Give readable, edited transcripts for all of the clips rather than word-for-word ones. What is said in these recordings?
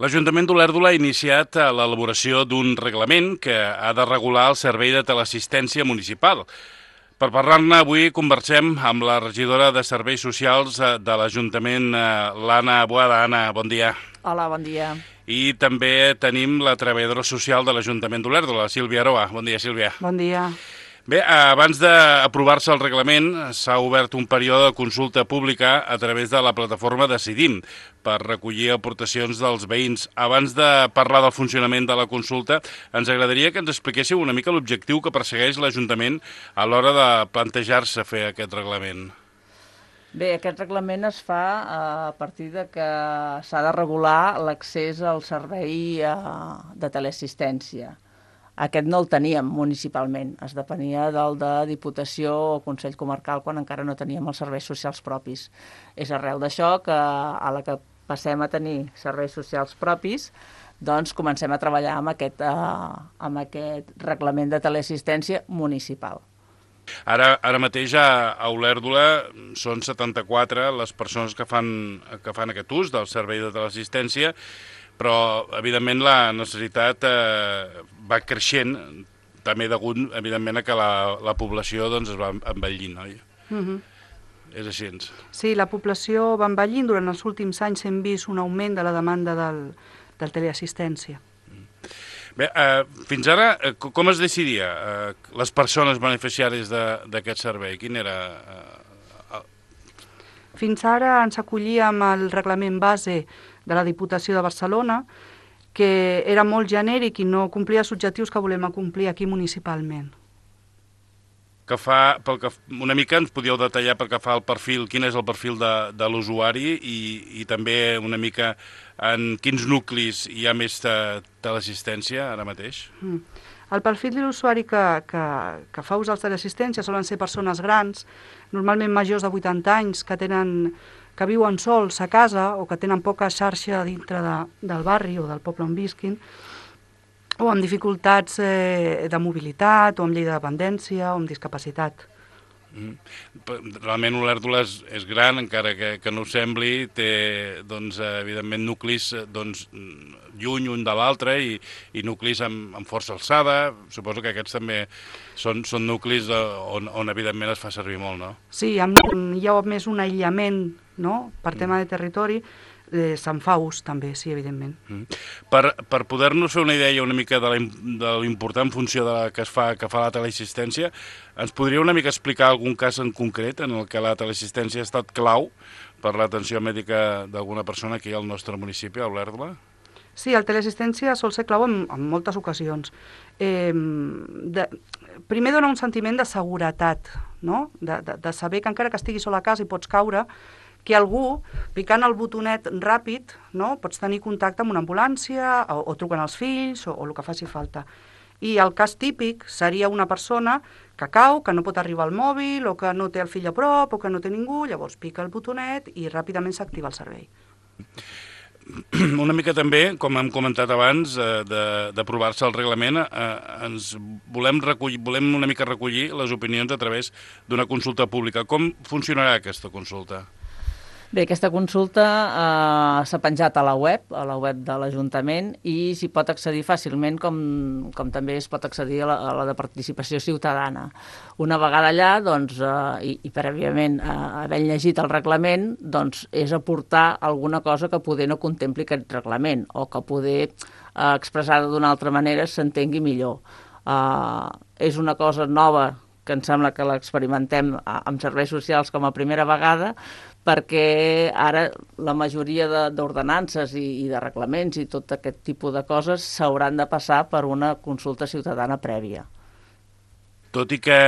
L'Ajuntament d'Olèrdola ha iniciat l'elaboració d'un reglament que ha de regular el servei de teleassistència municipal. Per parlar-ne avui conversem amb la regidora de Serveis Socials de l'Ajuntament, l'Anna Boada. Anna, bon dia. Hola, bon dia. I també tenim la treballadora social de l'Ajuntament d'Olèrdola, la Sílvia Aroa. Bon dia, Sílvia. Bon dia. Bé, abans d'aprovar-se el reglament s'ha obert un període de consulta pública a través de la plataforma Decidim per recollir aportacions dels veïns. Abans de parlar del funcionament de la consulta, ens agradaria que ens expliquéssiu una mica l'objectiu que persegueix l'Ajuntament a l'hora de plantejar-se fer aquest reglament. Bé, aquest reglament es fa a partir de que s'ha de regular l'accés al servei de teleassistència. Aquest no el teníem municipalment, es depenia del de Diputació o Consell Comarcal quan encara no teníem els serveis socials propis. És arrel d'això que a la que passem a tenir serveis socials propis, doncs comencem a treballar amb aquest reglament de teleassistència municipal. Ara mateix a Olèrdola són 74 les persones que fan aquest ús del servei de teleassistència, però, evidentment, la necessitat va creixent, també degut, evidentment, a que la població doncs, es va envellint, oi? És així. Sí, la població va envellint. Durant els últims anys hem vist un augment de la demanda del teleassistència. Bé, fins ara, com es decidia les persones beneficiàries d'aquest servei? Quin era? Fins ara ens acollíem al reglament base de la Diputació de Barcelona, que era molt genèric i no complia els objectius que volem acomplir aquí municipalment. Una mica ens podíeu detallar pel que fa al perfil, quin és el perfil de l'usuari i també una mica en quins nuclis hi ha més teleassistència ara mateix? El perfil de l'usuari que fa ús de l'assistència solen ser persones grans, normalment majors de 80 anys, que viuen sols a casa o que tenen poca xarxa dintre del barri o del poble on visquin, o amb dificultats de mobilitat, o amb llei de dependència, o amb discapacitat. Realment Olèrdola és gran, encara que no ho sembli, té, doncs, evidentment, nuclis lluny un de l'altre i nuclis amb força alçada. Suposo que aquests també són nuclis on evidentment es fa servir molt, no? Sí, hi ha més un aïllament, no?, per tema de territori. Se'n fa ús també, sí, evidentment. Per poder-nos fer una idea una mica de l'important funció que fa la teleassistència, ens podria una mica explicar algun cas en concret en el que la teleassistència ha estat clau per l'atenció mèdica d'alguna persona aquí al nostre municipi, a Olèrdola? Sí, la teleassistència sol ser clau en moltes ocasions. Primer dona un sentiment de seguretat, no?, de saber que encara que estiguis sol a casa i pots caure, que algú, picant el botonet ràpid, no, pots tenir contacte amb una ambulància o truquen els fills o el que faci falta. I el cas típic seria una persona que cau, que no pot arribar al mòbil o que no té el fill a prop o que no té ningú, llavors pica el botonet i ràpidament s'activa el servei. Una mica també, com hem comentat abans, d'aprovar-se el reglament, volem una mica recollir les opinions a través d'una consulta pública. Com funcionarà aquesta consulta? Bé, aquesta consulta s'ha penjat a la web de l'Ajuntament i s'hi pot accedir fàcilment com també es pot accedir a la de participació ciutadana. Una vegada allà, doncs, i prèviament haver llegit el reglament, doncs és aportar alguna cosa que poder no contempli aquest reglament o que poder expressada d'una altra manera s'entengui millor. És una cosa nova que em sembla que l'experimentem amb serveis socials com a primera vegada, perquè ara la majoria d'ordenances i de reglaments i tot aquest tipus de coses s'hauran de passar per una consulta ciutadana prèvia. Tot i que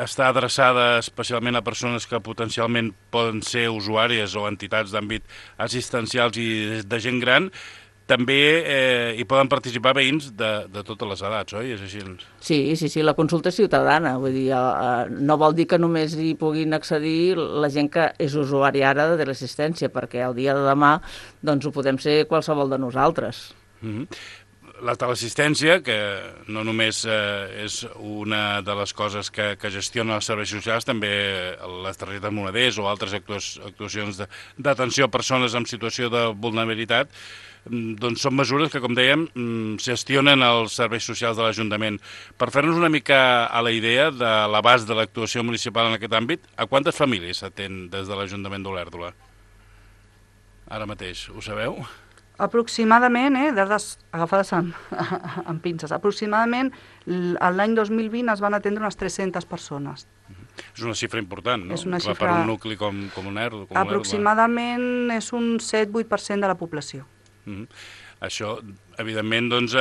està adreçada especialment a persones que potencialment poden ser usuàries o entitats d'àmbit assistencials i de gent gran, també hi poden participar veïns de totes les edats, oi? És així? Sí, la consulta és ciutadana, vull dir, no vol dir que només hi puguin accedir la gent que és usuària ara de l'assistència, perquè el dia de demà doncs ho podem ser qualsevol de nosaltres. La teleassistència, que no només és una de les coses que gestionen els serveis socials, també les targetes moneders o altres actuacions d'atenció a persones en situació de vulnerabilitat, doncs són mesures que, com dèiem, gestionen els serveis socials de l'Ajuntament. Per fer-nos una mica a la idea de l'abast de l'actuació municipal en aquest àmbit, a quantes famílies s'atén des de l'Ajuntament d'Olèrdola? Ara mateix, ho sabeu? Aproximadament, dades agafades amb pinces, aproximadament l'any 2020 es van atendre unes 300 persones. És una xifra important, no? És una xifra... Per un nucli com Olèrdola. Aproximadament és un 7-8% de la població. Això, evidentment, doncs,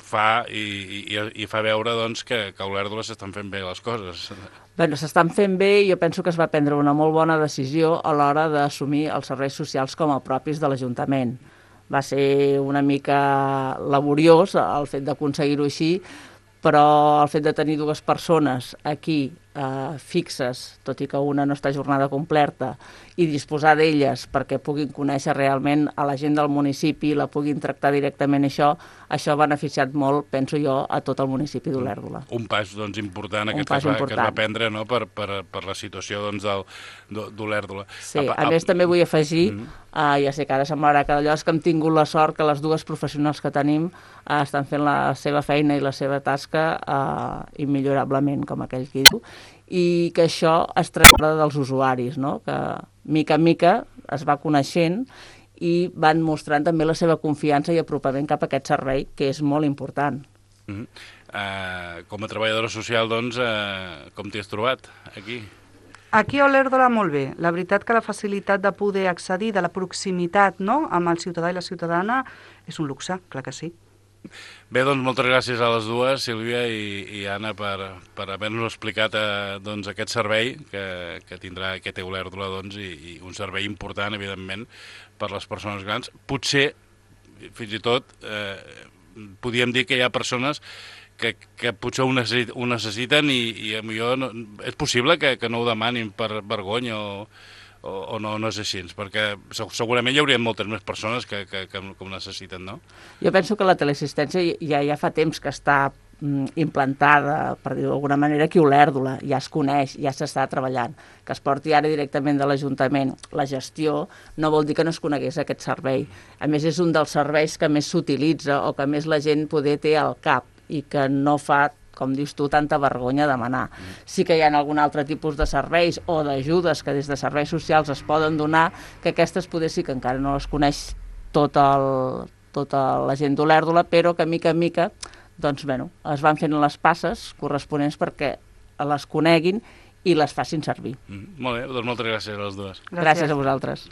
fa veure doncs, que a Olèrdola s'estan fent bé les coses. Bé, s'estan fent bé i jo penso que es va prendre una molt bona decisió a l'hora d'assumir els serveis socials com a propis de l'Ajuntament. Va ser una mica laboriós el fet d'aconseguir-ho així, però el fet de tenir dues persones aquí fixes, tot i que una no està a jornada completa, i disposar d'elles perquè puguin conèixer realment a la gent del municipi, la puguin tractar directament això ha beneficiat molt, penso jo, a tot el municipi d'Olèrdola. Un pas doncs, important aquest que es va prendre, no? per la situació doncs, d'Olèrdola. Sí, a més també vull afegir, ja sé que ara semblarà que d'allò és que hem tingut la sort que les dues professionals que tenim estan fent la seva feina i la seva tasca immillorablement, com aquell que diu, i que això es tracta dels usuaris, no? Que mica en mica es va coneixent i van mostrant també la seva confiança i apropament cap a aquest servei, que és molt important. Com a treballadora social, doncs, com t'hi has trobat aquí? Aquí a Olèrdola molt bé. La veritat que la facilitat de poder accedir, de la proximitat, no?, amb el ciutadà i la ciutadana és un luxe, clar que sí. Bé, doncs moltes gràcies a les dues, Sílvia i Anna, per haver-nos explicat doncs, aquest servei que tindrà aquest Olèrdola, doncs, i un servei important, evidentment, per les persones grans. Potser, fins i tot, podríem dir que hi ha persones que potser ho necessiten i potser és possible que no ho demanin per vergonya o no és així, perquè segurament hi hauria moltes més persones que ho necessiten, no? Jo penso que la teleassistència ja fa temps que està implantada, per dir-ho d'alguna manera, aquí a Olèrdola, ja es coneix, ja s'està treballant. Que es porti ara directament de l'Ajuntament la gestió no vol dir que no es conegués aquest servei. A més, és un dels serveis que més s'utilitza o que més la gent poder té al cap i que no fa, com dius tu, tanta vergonya demanar. Sí que hi ha algun altre tipus de serveis o d'ajudes que des de serveis socials es poden donar, que aquestes poder sí que encara no les coneix tota la gent d'Olèrdola, però que mica en mica doncs, bueno, es van fent les passes corresponents perquè les coneguin i les facin servir. Molt bé, doncs moltes gràcies a les dues. Gràcies a vosaltres.